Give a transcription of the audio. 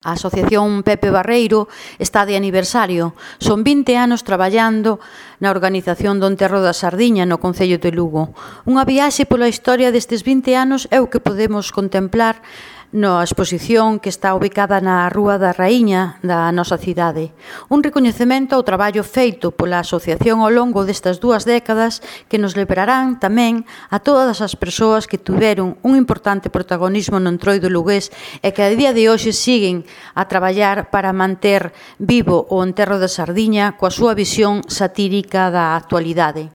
A Asociación Pepe Barreiro está de aniversario. Son 20 anos traballando na organización do Enterro da Sardiña no Concello de Lugo. Unha viaxe pola historia destes 20 anos é o que podemos contemplar na exposición que está ubicada na Rúa da Raíña da nosa cidade. Un recoñecemento ao traballo feito pola asociación ao longo destas 2 décadas que nos lembrarán tamén a todas as persoas que tiveron un importante protagonismo no Entroido lugués e que a día de hoxe siguen a traballar para manter vivo o Enterro da Sardiña coa súa visión satírica da actualidade.